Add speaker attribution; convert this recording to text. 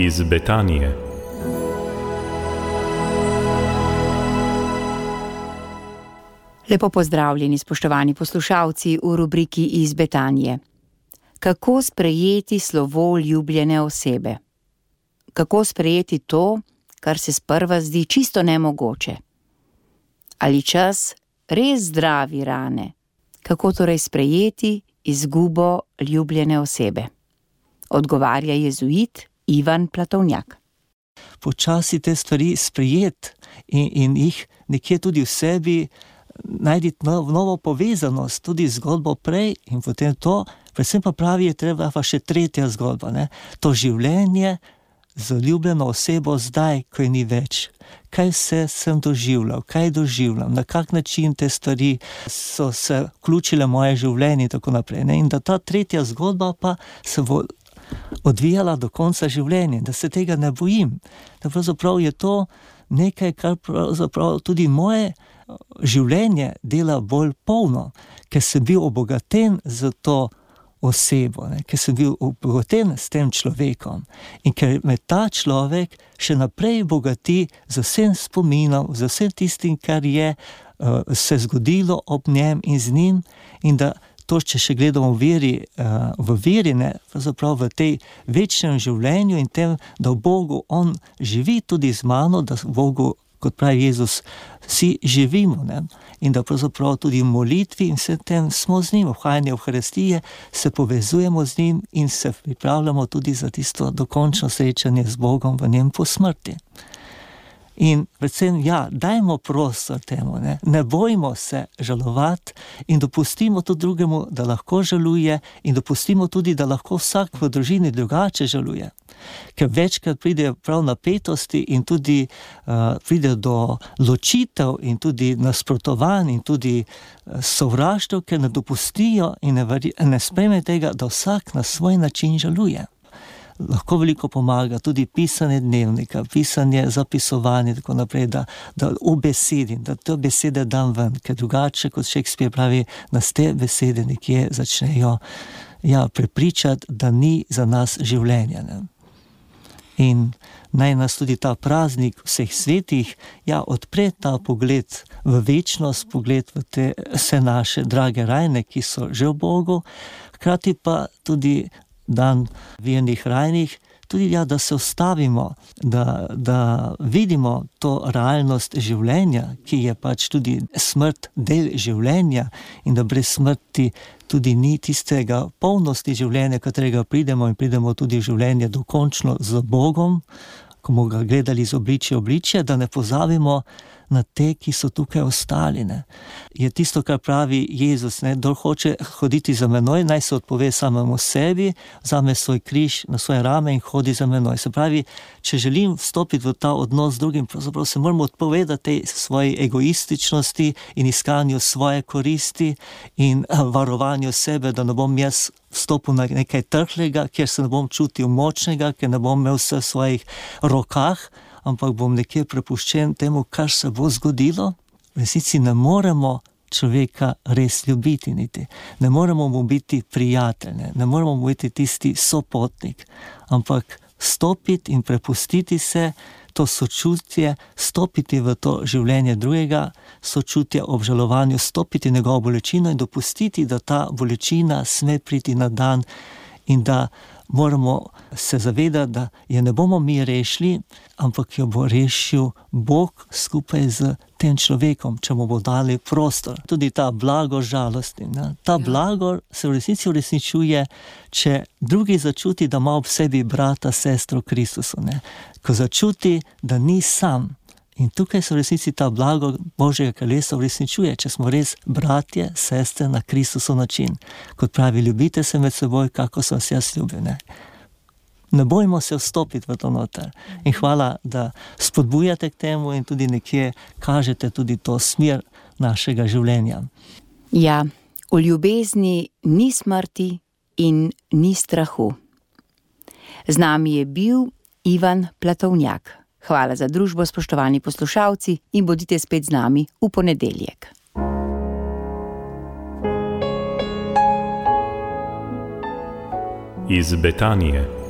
Speaker 1: iz Betanije.
Speaker 2: Lepo pozdravljeni, spoštovani poslušalci v rubriki Iz Betanije. Kako sprejeti slovo ljubljene osebe? Kako sprejeti to, kar se sprva zdi čisto nemogoče? Ali čas res zdravi rane? Kako torej sprejeti izgubo ljubljene osebe? Odgovarja jezuit Ivan Platovnjak.
Speaker 3: Počasi te stvari sprejeti in jih nekje tudi v sebi najti novo povezanost, tudi zgodbo prej in potem to, predvsem pa pravi, je treba pa še tretja zgodba, ne? To življenje z ljubljeno osebo zdaj, ko je ni več. Kaj vse sem doživljal, kaj doživljam, na kak način te stvari so se vključile v moje življenje in tako naprej, ne? In da ta tretja zgodba pa se bo odvijala do konca življenja, da se tega ne bojim. Da pravzaprav je to nekaj, kar pravzaprav tudi moje življenje dela bolj polno, ker sem bil obogaten z to osebo, ne? Ker sem bil obogaten s tem človekom in ker me ta človek še naprej bogati z vsem spominom, z vsem tistim, kar je se zgodilo ob njem in z njim, in da to, če še gledamo v veri, ne, pravzaprav v tej večnem življenju in tem, da v Bogu on živi tudi z mano, da v Bogu, kot pravi Jezus, vsi živimo, ne? In da pravzaprav tudi v molitvi in vsem tem smo z njim, v vhajanju Evharistije se povezujemo z njim in se pripravljamo tudi za tisto dokončno srečanje z Bogom v njem po smrti. In predvsem, dajmo prostor temu, ne bojmo se žalovati in dopustimo tudi drugemu, da lahko žaluje in dopustimo tudi, da lahko vsak v družini drugače žaluje. Ker večkrat pride prav napetosti in tudi pride do ločitev in tudi nasprotovanj in tudi sovraštv, ker ne dopustijo in ne sprejme tega, da vsak na svoj način žaluje. Lahko veliko pomaga tudi pisanje dnevnika, pisanje, zapisovanje, tako naprej, da ubesedim, da te besede dam ven, ker drugače, kot Shakespeare pravi, nas te besede nekje začnejo prepričati, da ni za nas življenja, ne? In naj nas tudi ta praznik vseh svetih odpre ta pogled v večnost, pogled v te vse naše drage rajne, ki so že v Bogu, hkrati pa tudi dan vernih rajnih, tudi da se ustavimo, da vidimo to realnost življenja, ki je pač tudi smrt del življenja in da brez smrti tudi ni tistega polnosti življenja, katerega pridemo tudi v življenje dokončno z Bogom, ko bomo ga gledali z obličje, da ne pozabimo na te, ki so tukaj ostali, ne. Je tisto, kar pravi Jezus, ne, kdor hoče hoditi za menoj, naj se odpove samemu sebi, vzame svoj križ na svoje rame in hodi za menoj. Se pravi, če želim vstopiti v ta odnos z drugim, pravzaprav se moramo odpovedati tej svoji egoističnosti in iskanju svoje koristi in varovanju sebe, da ne bom jaz vstopil na nekaj trhlega, kjer se ne bom čutil močnega, ker ne bom imel vse v svojih rokah, ampak bom nekje prepuščen temu, kar se bo zgodilo. V resnici ne moremo človeka res ljubiti niti. Ne moremo mu biti prijatelj, ne moremo mu biti tisti sopotnik, ampak stopiti in prepustiti se, to sočutje, stopiti v to življenje drugega, sočutje obžalovanju, stopiti njegovo bolečino in dopustiti, da ta bolečina sme priti na dan in da moramo se zavedati, da je ne bomo mi rešili, ampak jo bo rešil Bog skupaj z tem človekom, če mu bo dali prostor. Tudi ta blagor žalosti, ne? Ta blagor se v resnici uresničuje, če drugi začuti, da ima ob sebi brata, sestro Kristusu, ne? Ko začuti, da ni sam. In tukaj se v resnici ta blagor Božjega kraljestva uresničuje, če smo res bratje, sestre na Kristusov način. Kot pravi, ljubite se med seboj, kako so vas jaz ljubil, ne? Ne bojmo se vstopiti v to noter. In hvala, da spodbujate k temu in tudi nekje kažete tudi to smer našega življenja.
Speaker 2: Ja, v ljubezni ni smrti in ni strahu. Z nami je bil Ivan Platovnjak. Hvala za družbo, spoštovani poslušalci, in bodite spet z nami v ponedeljek.
Speaker 1: Iz Betanije.